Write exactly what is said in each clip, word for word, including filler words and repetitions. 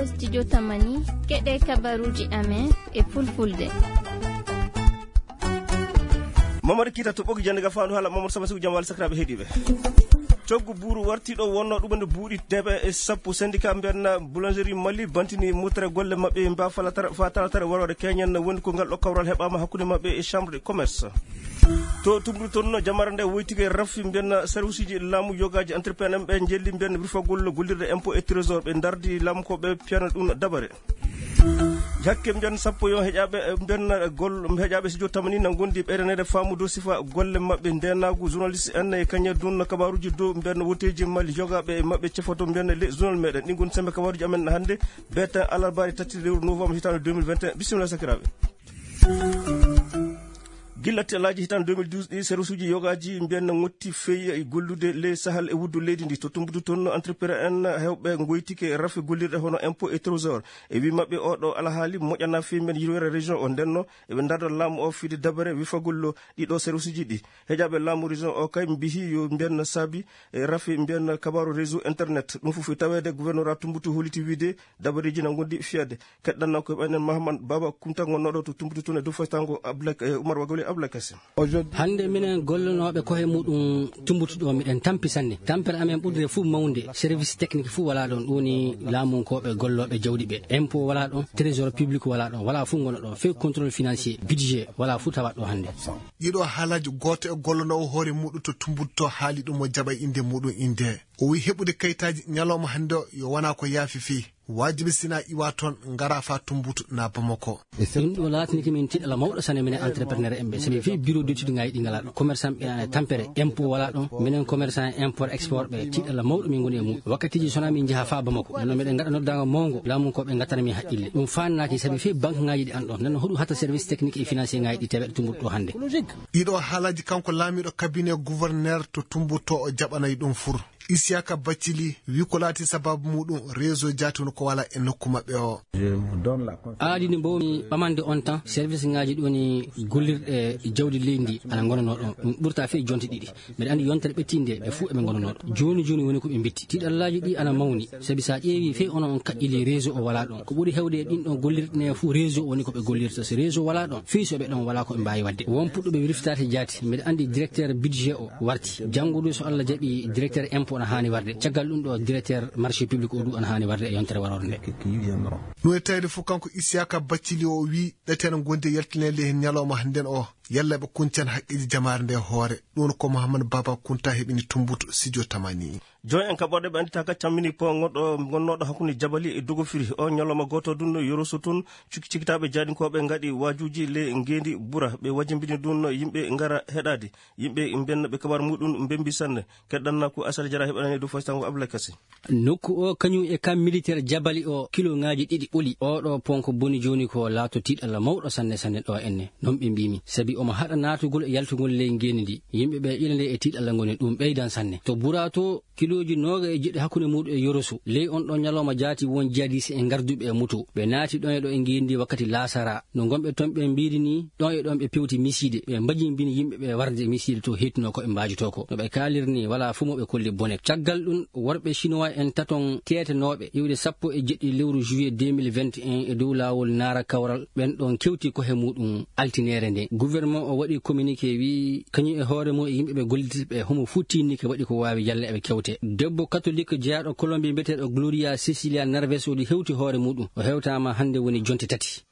Studio Tamani, keɗe kabaruuji amen e fulfulde. Mamadu Kita to ɓogi jannde ga faandu haala Mamadu Sama Sigu, jam walla sakiraaɓe heɗiiɓe. Coggu buuru warti ɗo wonno ɗuɓande buuɗi teɓe e sappo. Syndicat mbiyanna boulangerie Mali bantini mutere golle maɓɓe mba falatara, fa talatara warore keñen woni ko ngal ɗo kawral heɓaama hakkunde maɓɓe e chambre de commerce. To tumbudu toon, jamara nde woytike rafi mbiyanna service uji laamu yogaaji entrepreneur ɓe jelli mbiyanna wirfagol gollirde impôt et trésor ɓe dardi laamu ko ɓe piyana ɗum dabare. Hakke mbiyan sappo yo heƴaaɓe, mbiyan gol, heƴaaɓe studio Tamani na ngondi ɓeydaneede faamu dow sifa golle maɓɓe. Ndeenaagu journaliste en e kañe dun kabaruuji dow mbiyan woteeji Mali yogaaɓe e maɓɓe cefoto mbiyan le journal meɗen. Ɗi ngoni sembe kabaruuji amen hannde, beeten alarbaari tati lewru novembre hitaande deux mille vingt et un. Bisimilla sakiraaɓe. Gilla tellaaji hitaande deux mille douze ɗi, service uji yogaaji mbiyan na ngotti feyi e gollude ley sahal e wuddu leydi ndi. To tumbudu toon, entrepreneur en hewɓe ngoytike rafi gollirɗe hono impôt et trésor. E wi maɓɓe, oɗo alhaali moƴƴana feyi mbiyan yirwere région o. Ndenno eɓe darda laamu o fide dabare wifagol ɗiɗo service uji ɗi. Heƴaaɓe laamu région o kay mbihi yo mbiyan saabi e rafi mbiyan kabaru réseau internet. Ɗum fof e taweede gouverneur Tumbutu holliti wiide dabareeji na ngondi fiyade. Keɗɗanno ko ɓaynen Mahamad Baba Kunta gonnooɗo to Tumbutu toon e dow faytango Abdoulaye, eh, Oumar Wagoli Abdoulaye Kasim. Hannde minen gollanooɓe koye muɗum Tumbutu ɗo miɗen tampi sanne. Tampere amen ɓurde fof mawnde, service technique fof wala ɗon. Ɗum woni laamunkooɓe gollooɓe jawdi ɓe. Impôt wala ɗon, trésor public wala ɗon, wala fof ngona ɗon. Fee contrôle financier, budget, wala fof tawat ɗo hannde. Ɗiɗo haalaji, gooto e gollanoowo hoore muɗum to Tumbutu to haali ɗum o jaɓa innde muɗum innde. O wi heɓude kayitaaji ñalawma hannde o yo wona ko yaafi fii. Waajibi sina iwa toon, ngara fa Tumbutu na Bamako. Ɗum ɗo laatiniki min tiɗala mawɗo sane minen entrepreneur en ɓe. Sabi fii bureau d'étude ngayi ɗi ngala ɗo. Commerçant ɓe ana tampere, impôt wala ɗon. Minen commerçant import export ɓe tiɗala mawɗo min ngoni e mum. Wakkatiji sona min njaha fa Bamako. Nonno meɗen ngaɗa noddaango mawngo, laamu ko ɓe ngattana min haqqille. Ɗum faannaaki sabi fii banque ngaji ɗi an ɗon. Nonno hoɗum hatta service technique et financier ngaji ɗi teweɗe Tumbutu ɗo hannde. Ɗiɗo haalaji kanko laamiɗo cabinet gouverneur to Tumbutu o jaɓanay ɗum fur. Isiyaka Baccili wi ko laati sababu muɗum réseau jaati woni ko wala e nokku maɓɓe o. Aadi ndi mbawmi ɓamande on tan, service ngaji ɗoni gollirɗe jawdi leydi ndi ana ngonano ɗon. Ɗum ɓurta fee jonte ɗiɗi. Mbeɗa andi yontere ɓettinde ɓe fuu eɓe ngonano ɗon. Jooni jooni woni ko ɓe mbitti. Tiɗallaji ɗi ana mawni. Sabi sa ƴeewi fee ono on kaƴƴili réseau o wala ɗon. Ko ɓuri hewde e ɗin ɗon gollirɗe ne fuu réseau woni ko ɓe gollirta. So réseau wala ɗon, fii so ɓe ɗon wala ko ɓe mbaawi waɗde. Won puɗɗuɓe wirfitaade jaati. Mbeɗa andi directeur budget o warti. Janngo du so Allah jaɓi directeur impôt ana haani warde. Caggal ɗum ɗo directeur marché public o du ana haani warde e yontere warore nde. Ɗum e tawde fof kanko Isiyaka Baccili o wi ɗeteen gonde yaltinede heen ñalawma hannden o. Yalla ɓe kuncan haqqeeji jamaare nde hoore. Ɗum ko Mouhammad Baba Kunta heɓini Tumbutu, Sidio Tamani. Jooni en kaɓɓorɗe ɓe anndita ka cammini po ngonɗo, gonnooɗo hakkunde Jabali e Dogofiri. O ñalawma gooto ɗum no Yoroso toon, cukki cikkitaaɓe jaaɗinkooɓe ngaɗi waajuuji ley ngeendi Bura. Ɓe wajimbini ɗum no yimɓe ngara heɗaade. Yimɓe mbenna ɓe kabar muɗum mbembi sanne. Keɗɗanna ko Asal Jara heɓanani dow faytango Abdoulaye Kassé. Nokku o kañum e camp militaire Jabali o, kilomètre ŋaaji ɗiɗi ɓoli. Oɗo pont ko boni jooni ko laato tiiɗalla mawɗo sanne sanne ɗo enne. Noon ɓe mbiimi. Sabi omo haɗa naatugol e yaltugol ley ngeendi ndi. Yimɓe ɓe ina nde e tiiɗalla ngoni ɗum ɓeydan sanne. To Bura to, kilooji nooga e jeɗɗi hakkunde muuɗum e Yoroso. Ley on ɗon ñalawma jaati won jihadiste e ngarduɓe e moto. Ɓe naati ɗon e ɗo e ngeendi wakkati laasara. No ngonɓe toon ɓe mbiiri ni, ɗon e ɗon ɓe pewti misiide. Ɓe mbajimbini yimɓe ɓe warde misiide to heetino ko ɓe mbaajotoo ko. No ɓe kaaliri ni, walaa fof mo ɓe kolli bone. Caggal ɗum, worɓe Chinois en taton teetenooɓe iwde sappo e jeɗɗi lewru juillet deux mille vingt et un e dow laawol Naara Kawral, ɓen ɗon kewti kohe muuɗum altineere nde. Gouvernement o waɗi communiqué wi, kañum e hoore mum e yimɓe ɓe gollirta ɓe, homo fuu tiinnike waɗi ko waawi yalla eɓe kewte. Debbo katolik jeyaaɗo Colombie mbiyeteeɗo Gloria Cecilia Narves o ɗi hewti hoore muuɗum. O hewtaama hannde woni jonte tati.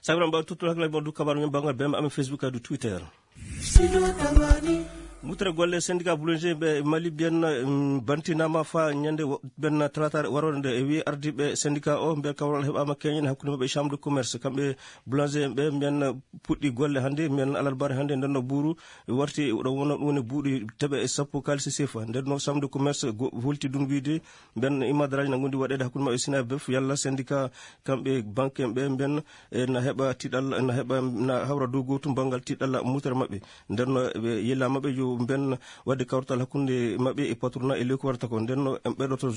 Sabiran mbaw tuttuɗo hakkilaaji mon du kabaru men banngal B M amen Facebook e du Twitter. Mutere golle syndicat boulanger ɓe Mali mbiyen, mm, bantinaama fa ñande wo-, ɓen talataare warore nde e wi ardiiɓe syndicat o mbiyen kawral heɓaama keñen hakkunde maɓɓe e chambre de commerce. Kamɓe boulanger ɓe mbiyen puɗɗi golle hannde, mbiyen alarbaare hannde nden no buuru warti ɗo wonno ɗum woni buuɗi teɓe e sappo kaalisi sefa. Nden no chambre de commerce go-, holti ɗum wiide Mben imadaraaji na ngondi waɗeede hakkunde maɓɓe Sina Bef, yalla syndicat kamɓe banque en ɓe mben, e na heɓa tiɗalla, na heɓa, na hawra dow gootum banngal tiɗalla mutere maɓɓe. Nden no ɓe yella maɓɓe yo mben waɗde kawrital hakkunde maɓɓe e patrona e ley ko warata ko. Nden no en ɓeydoto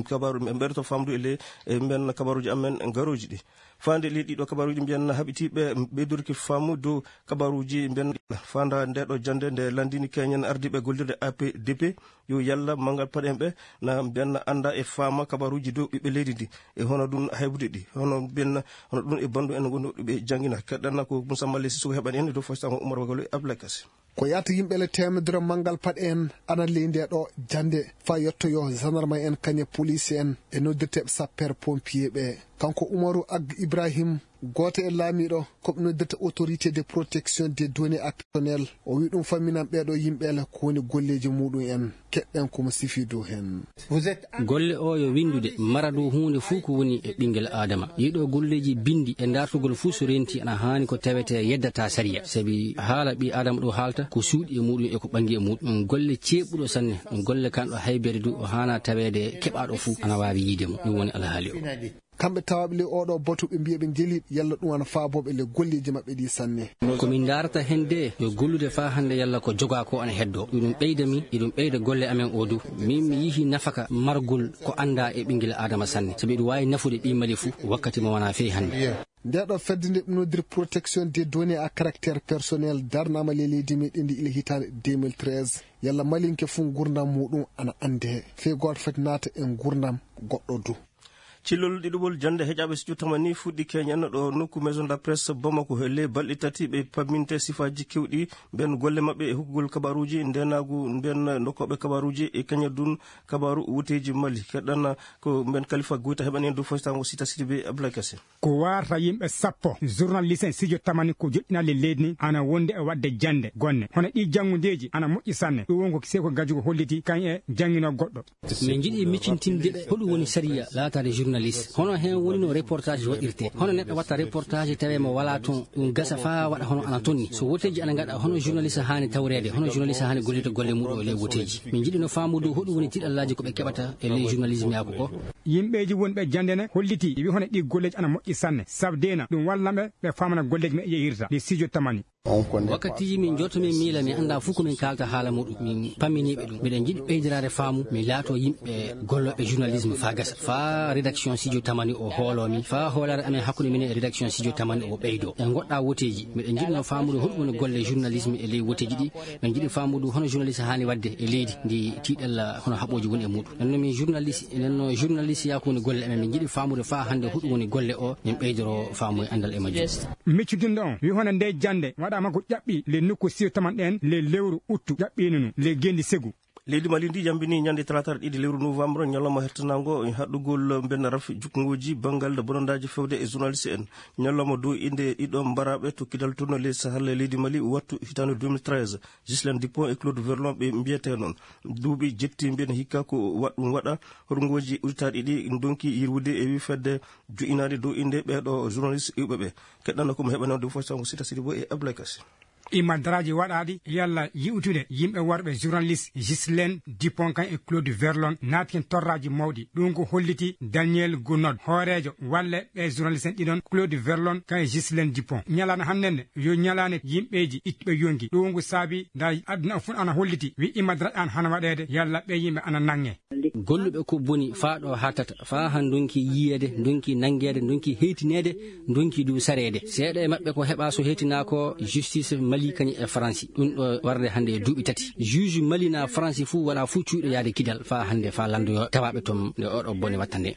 kabaru, en ɓeydoto famdu e ley e mben kabaruji amen garoji ɗi. Fande ley ɗiɗo kabaruji mbiyan haɓitiɓe ɓeydorki famu dow kabaruji mbiyan fanda nde ɗo jande nde landini keñen ardiɓe gollirde A P D P yo yalla mangal paɗen ɓe na mbiyan anda e fama kabaruji dow ɓiɓɓe leydi ndi e hono ɗum haybude ɗi hono mbiyan hono ɗum e bandu en wonduɓe jangina. Kaɗanna ko Moussa Mali Sissoko heɓani en dow fostango Oumar Wagolo e Abdoulaye Kassé. Ko yahata yimɓe le temedere manngal paɗe en ana ley nde ɗo jannde faa yettoyo gendarme en kañe police en e noddirteeɓe sapper pompier ɓe. Kanko Umaru Ag Ibrahim, gooto e laamiiɗo ko ɓe noddirta autorité de protection des données à personnel, o wi ɗum famminan ɓeeɗo yimɓe le ko woni golleeji muɗum en. Keɗɗen ko mo sifi dow heen. Golle o yo winndude, mara dow huunde fuu ko woni e ɓinngel Aadama. Ɗiɗo golleeji binndi e daartugol fuu so renti ana haani ko tawetee yeddata sariya, sabi haala ɓii Aadama ɗo haalta ko suuɗi e muɗum e ko ɓanngi e muɗum. Ɗum golle ceeɓuɗo sanne, ɗum golle kanɗo haybere du o haana taweede keɓaaɗo fuu ana waawi yiide mo. Ɗum woni alhaali o. Kamɓe tawaaɓe ley oɗo batu ɓe mbiya ɓe njeliiɓe yalla ɗum ana faabooɓe le golleeji maɓɓe ɗi sanne. Ko min ndaarata heen de yo gollude faa hannde yalla ko jogaa ko ana heddoo. Iɗum ɓeyda mi, iɗum ɓeyda golle amen o du. Min mi yihi nafaka margol ko anndaa e ɓinngel Aadama sanne. Sabi iɗum waawi nafude ɓii Mali fuu wakkati mo wonaa fey hannde. Nde ɗo fedde nde ɓe nodiri protection des données à caractère personnel darnaama ley leydi meɗen ndi ila hitaande deux mille treize. Yalla malinke fuu ngurndam muɗum ana annde fey gooto foti naata e ngurndam goɗɗo du. Cillol ɗiɗuɓol jannde heƴaaɓe studio tamani fuɗɗi keñen ɗo nokku Maison de la Presse Bamako. He ley balɗe tati ɓe pamminte sifaaji kewɗi mben golle maɓɓe e hokkugol kabaruuji ndenaagu mben ndokkooɓe kabaruuji e kañadun kabaaru wuteeji Mali. Keɗɗana ko mben Kalifa Goyta heɓani en dow foytango Sita Sidibe Abdoulaye Kassé. Ko warata yimɓe sappo journaliste en studio tamani ko joɗɗinaa le leydi ni ana wonde e waɗde jannde gonne hono ɗi janngudeeji ana moƴƴi sanne. Ɗum won ko seko gajugo holliti kañ e jannginoo goɗɗo. Min njiɗi miccintinde ɓe hoɗum woni sariya laataade journaliste. Hono heen woni no reportage waɗirtee. Hono neɗɗo watta reportage tawi mo walaa toon, ɗum gasa faa waɗa hono ana tonni. So woteeji ana ngaɗa, hono journaliste haani tawreede, hono journaliste haani gollirde golle muɗum e ley woteeji. Min njiɗi no faamude hoɗum woni tiiɗallaaji ko ɓe keɓata e ley journalisme yaaku o. Yimɓeeji wonɓe jannde ne hollitii, wi hono ɗi golleeji ana moƴƴi sanne. Sabu deena, ɗum wallan ɓe, ɓe faamana golleeji maɓɓe yehirta, ɗi studio tamani. Wakkatiiji min njooto min miila, mi anndaa fof ko min kaalta haala muɗum. Min pamminiiɓe ɗum. Miɗen njiɗi ɓeydiraade faamu, mi laatoo yimɓe gollooɓe journalisme faa gasa. Faa rédaction studio tamani o hooloo min. Faa hoolaare amen hakkunde minen e rédaction studio tamani o ɓeydoo. En ngoɗɗaa woteeji. Miɗen njiɗnoo faamude hoɗum woni golle journalisme e ley woteeji ɗi. Min njiɗi faamude hono journaliste haani waɗde e leydi ndi tiiɗalla hono haɓooji woni e muɗum. Nden no min journaliste, nden no journaliste yaaku woni golle amen. Min njiɗi faamude faa hannde hoɗum woni golle o, min ɓeydoroo faamu e anndal e majjum. Miccudinɗo on, wi hono nde jannde waɗaama ko ƴaɓɓi le nokku siyo taman ɗen le lewru uttu ƴaɓɓiino nu le gendi segu. Leydi Mali ndi yambini ñande talaata ɗiɗi lewru novembre, ñalawma hertanango haɗɗugol mbenna rafi jukkongoji banngal bonondaaji fewde e journaliste en. Ñalawma dow innde ɗiɗo mbaraaɓe to kidal tourno ley Sahel leydi Mali wattu hitaande deux mille treize. Ghislaine Dupont e Claude Verlon ɓe mbiyetee noon. Duuɓi jetti mbiyen hikka ko wa-, ɗum waɗa horngooji uditaaɗi ɗi ndonki yirwude e wi fedde jo'inaade dow innde ɓeeɗo journaliste iwɓe ɓe. Keɗɗanno ko mo heɓanoo ɗum fof, Sango Sita Sidibo e Abdoulaye Kassé. Imadraji waɗaaɗi yalla yi'utude yimɓe worɓe journaliste Ghislaine Dupont kan e Claude Verlon naati hen torraaji mawɗi. Ɗum ko holliti Daniel Gounod, hooreejo walle ɓe journaliste en ɗiɗon, Claude Verlon kan e Ghislaine Dupont. Ñalaande hannde nde yo ñalaande yimɓeeji ittuɓe yonki. Ɗum ngu saabi nda aduna o fof ana holliti wi imadraji an hana waɗeede yalla ɓe yimɓe ana nange. Golluɓe ko boni faa ɗo haattata, faa han ndonki yiyeede, ndonki nanngeede, ndonki heytineede, ndonki du sareede. Seeɗa e maɓɓe ko heɓa so heytinaa ko justice Mali kañum e Faransi. Ɗum ɗo warde hannde e duuɓi tati. Juge Mali na Faransi fuu wala fuu cuuɗo yaade kidal faa hannde faa lanndoyo tawaaɓe toon nde oɗo bone watta nde.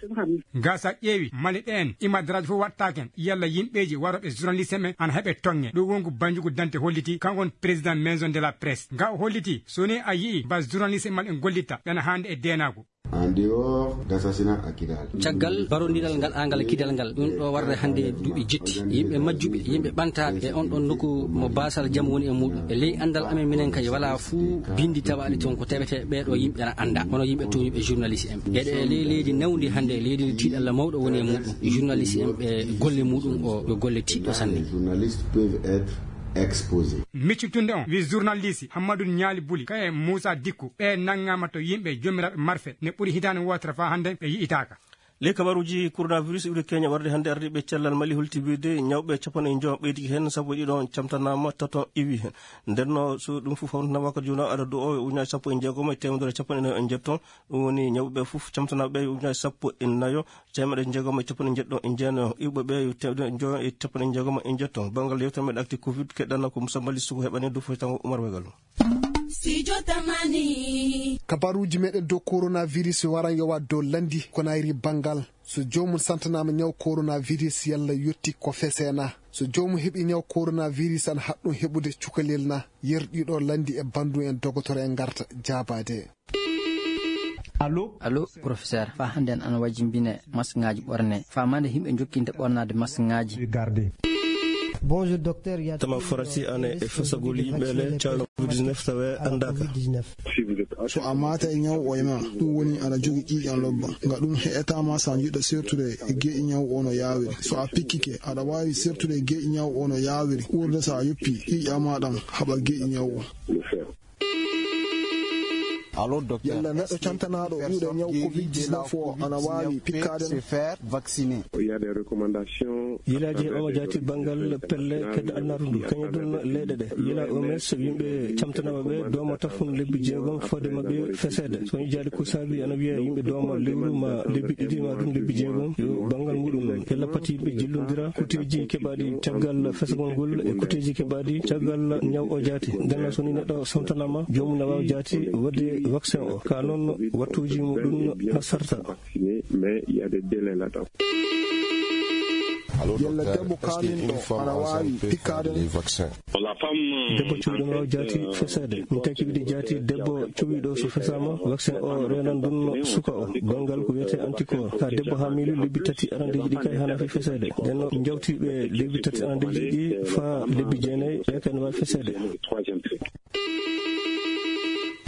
Gasa ƴeewi Mali ɗeen imadraji fof wattaken yalla yimɓeeji waroɓe journaliste men ana heɓe tonge. Ɗum wongu banjugu dante holliti kanko on président Maison de la Presse. Nga o holliti so ni a yi'i ba journaliste Mali en gollitta ɓena hannde e deenaagu. En dehors d'assassinat à Kidal. Caggal barondiral ngal angal kidal ngal, ɗum ɗo warde hannde duuɓi jetti. Yimɓe majjuɓe, yimɓe ɓantaaɓe e on ɗon nokku mo baasal jam woni e muɗum. E ley anndal amen minen kay wala fuu bindi tawaaɗi toon ko tawetee ɓee ɗo yimɓe ana annda. Hono yimɓe tooñuɓe journaliste en. Eɗe e ley leydi nawndi hannde, leydi ndi tiiɗalla mawɗo woni e muɗum. Journaliste en ɓe golle muɗum o yo golle tiiɗɗo sanne. Les journalistes peuvent être exposés. Miccitunde on wi journaliste Hammadou Ñaali Buli, kaye Moussa Dikko, ɓe nanngaama to yimɓe joomiraaɓe marfe, ne ɓuri hitaande wootere faa hannde ɓe yi'itaaka. Ley kabaruuji coronavirus iwri Kenya warde hannde ardiiɓe cellal Mali holti wiyde ñawɓe capanɗe njoyo ɓeydii heen, sappo e ɗiɗo camtanaama, tato iwi heen. Nden no so ɗum fof hawritanaama ko jooni adadu o e ujunaaji sappo e jeegom e teemedere capanɗe nayo e njeeto. Ɗum woni ñawɓe ɓe fof camtanaaɓe ɓe ujunaaji sappo e nayo, teemedere jeegom e capanɗe jeeɗiɗo e jeenayo. Iwɓe ɓe yo teemedere njoyo e capanɗe jeegom e njeeto. Banngal yewtere meɗen actu covid keɗɗana ko Moussa Mali Sougou heɓani du fof tango Oumar Wegal. Studio Tamani. Kabaruuji meɗen dow coronavirus waran yowa dow Lanndi, Konayri, Banngal. So joomum santanaama ñaw coronavirus, yalla yotti ko fesee na? So joomum heɓi ñaw coronavirus, ana haɗɗum heɓude cukalel na? Yerɗiiɗo Lanndi e banndum en dogotoro en ngarta jaabaade. Allo? Allo, professeur. Faa hannde en ana wajimbine maskŋaaji ɓorne. Faamaade yimɓe jokkinta ɓornaade maskŋaaji. Garde. Bonjour, docteur. Tama farasi ane e fesagol yimɓe le caawa covid dix-neuf tawe anndaka. So a maata e ñaw o e ma, ɗum woni aɗa jogii ƴiiƴam lobba. Nga ɗum heƴataa ma so a jiɗɗo sertude e geeƴi ñaw o no yaawiri. So a pikkike, aɗa waawi sertude e geeƴi ñaw o no yaawiri. Ɓurde so a yoppi ƴiiƴam ma ɗam haɓa geeƴi ñaw o. Allo, docteur. Yalla neɗɗo cantanaaɗo ɗuuɗe ñaw covid dix-neuf o ana waawi pikkaade? Il y a des recommandations. Yilaaji heɓaama jaati banngal pelle kedde alnaru ndu. Kañum ɗum leyɗe ɗe. Yila O M S yimɓe camtanaaɓe ɓe dooma tafun lebbi jeegom fodde maɓɓe feseede. So woni jaadi ko saabi ana wiya yimɓe dooma lewru ma lebbi ɗiɗi ma ɗum lebbi jeegom. Yo banngal muɗum noon. Yalla pati yimɓe jillondira kuteeji keɓaaɗi caggal fesagol ngol e kuteeji keɓaaɗi caggal ñaw o jaati. Nden noon so ni neɗɗo samtanaama, joomum ne waawa jaati waɗde vaccin o. Ka noon wattuuji muɗum na sarta. Mais il y a des délais là-dedans. Yalla debbo kaaminɗo ana waawi pikkaade? Debbo cuwiiɗo no waawi jaati fesaade. Min taki wiide jaati debbo cuwiiɗo so fesaama, vaccin o reenan ɗum suka o. Banngal ko wiyetee anticorps. Ka debbo haa miilu lebbi tati arandeeji ɗi kay hana fi fesaade. Nden no jawtiiɓe lebbi tati arandeeji ɗi faa lebbi jeenayi, ɓe kay no waawi fesaade.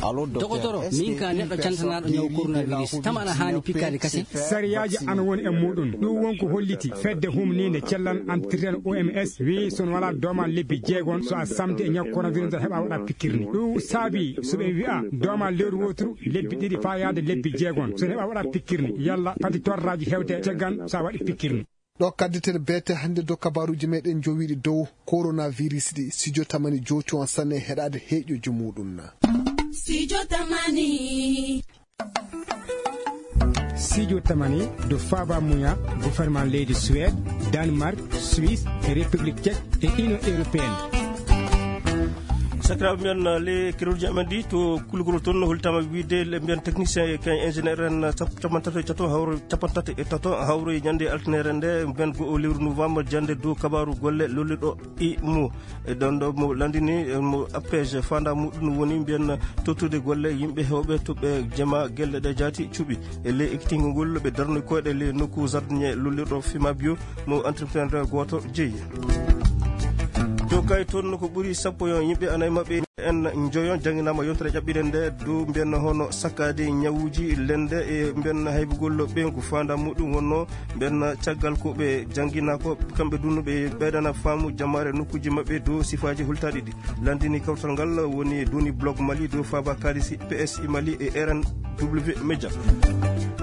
Dogotoro, min ka neɗɗo cantanaaɗo ñaw coronavirus, tama ana haani pikkaade kasin? Sariyaaji ana woni e muɗum. Ɗum won ko holliti fedde humniinde cellal entretien O M S wiyi so on walaa doomal lebbi jeegom, so a samti e ñaw coronavirus, a heɓa waɗa pikkirni. Ɗum saabi so ɓe wi'a doomal lewru wooturu, lebbi ɗiɗi faa yaade lebbi jeegom, so on heɓa waɗa pikkirni, yalla pati torraaji hewte caggal so a waɗi pikkirni. Ɗo kadditen beete hannde dow kabaaruuji meɗen jowiiɗi dow coronavirus ɗi. Studio Tamani joocu on sanne heɗaade heeƴoji muɗum na. Studio Tamani. Studio Tamani dow faaba muya gouvernement leydi Suède, Danemark, Suisse, e République Tchèque e Union Européenne. Sakiraaɓe men, le keroji amen ɗi to kulgol toon no holtama wiide le mbiyan technicien e kay ingénieur en sap-, capantato e tato hawre capantato e tato hawre ñande altine rende mbiyan go o lewru novembre jande dow kabaru golle lolluɗo i mo. E ɗon ɗo mo landini, e mo appege fanda muɗum woni mbiyan tottude golle yimɓe hewɓe to ɓe jema gelle ɗe jaati cuɓi. E ley ekkitingo ngol ɓe darni koyɗe ley nokku jardinier lolluɗo Fima Bio mo entrepreneur goto jeeyi. To kay toon ko ɓuri sappo yon yimɓe anayi maɓɓe en njoyon jannginama yontere ƴaɓɓire nde dow mbiyan hono sakkaade ñawuji lende e mbiyan haybugol ɓeyngu fanda muɗum wonno mbiyan caggal ko ɓe janngina ko kamɓe dunno ɓe ɓeydana faamu jammaare nokkuji maɓɓe dow sifaaji hultaaɗi ɗi. Landini kawtal ngal woni doni blog Mali dow faaba kaalisi P S I Mali e R N W Media.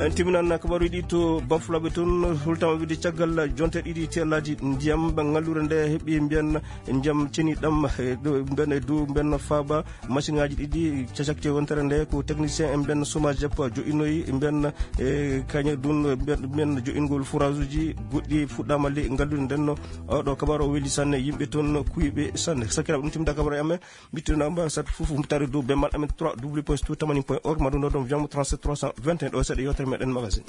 En timinan kabaruji ɗi to bafulaɓe toon, hultama wiide caggal jonte ɗiɗi tellaji ndiyam ɓe ngallure nde heɓi mbiyan ndiyam ceniɗam, e ɗo mbiyan e dow mbiyan faaba machine ngaji ɗiɗi cacakte wontere nde ko technicien en mbiyan chômage jeppa joɗɗinoyi mbiyan e kañe dun mbiyan joɗɗingol forage uji goɗɗi fuɗɗama le ngallude ndenno. Oɗo kabaru o weli sanne yimɓe toon kuyɓe sanne. Sakiraɓe ɗum timda kabaru e amen. Mbittino ambassade fof mutare dow bemmal amen trois w point studio tamani point org, maɗum ɗo ɗon jamo trente-sept trois cent vingt et un ɗo seeɗa yewtere meɗen magazine.